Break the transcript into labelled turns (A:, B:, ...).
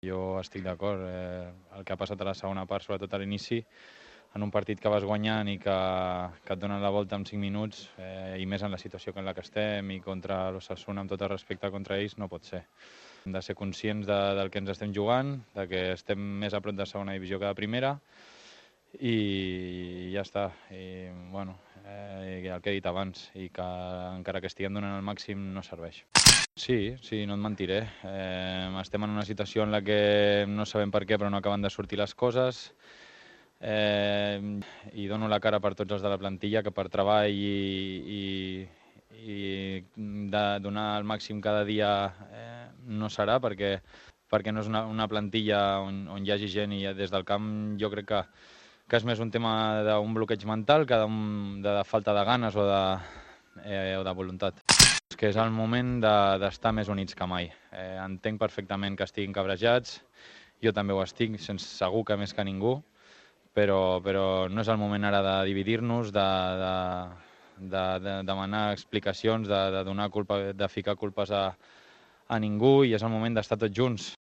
A: Jo estic d'acord. El que ha passat a la segona part, sobretot a l'inici, en un partit que vas guanyant i que et donen la volta en 5 minuts, i més en la situació en la que estem i contra l'Osasuna, amb tot el respecte contra ells, no pot ser. Hem de ser conscients del que ens estem jugant, de que estem més a prop de segona divisió que de primera, i ja està. I, bueno, el que he dit abans, i que encara que estiguem donant el màxim no serveix. Sí, no et mentiré. Estem en una situació en la que no sabem per què, però no acaben de sortir les coses. I dono la cara per tots els de la plantilla, que per treball i de donar el màxim cada dia no serà, perquè no és una plantilla on hi hagi gent, i des del camp jo crec que és més un tema d'un bloqueig mental que de falta de ganes o de voluntat. Que és el moment d'estar més units que mai. Entenc perfectament que estiguin cabrejats, jo també ho estic, segur que més que ningú, però no és el moment ara de dividir-nos, de demanar explicacions, de donar culpa, de ficar culpes a ningú, i és el moment d'estar tots junts.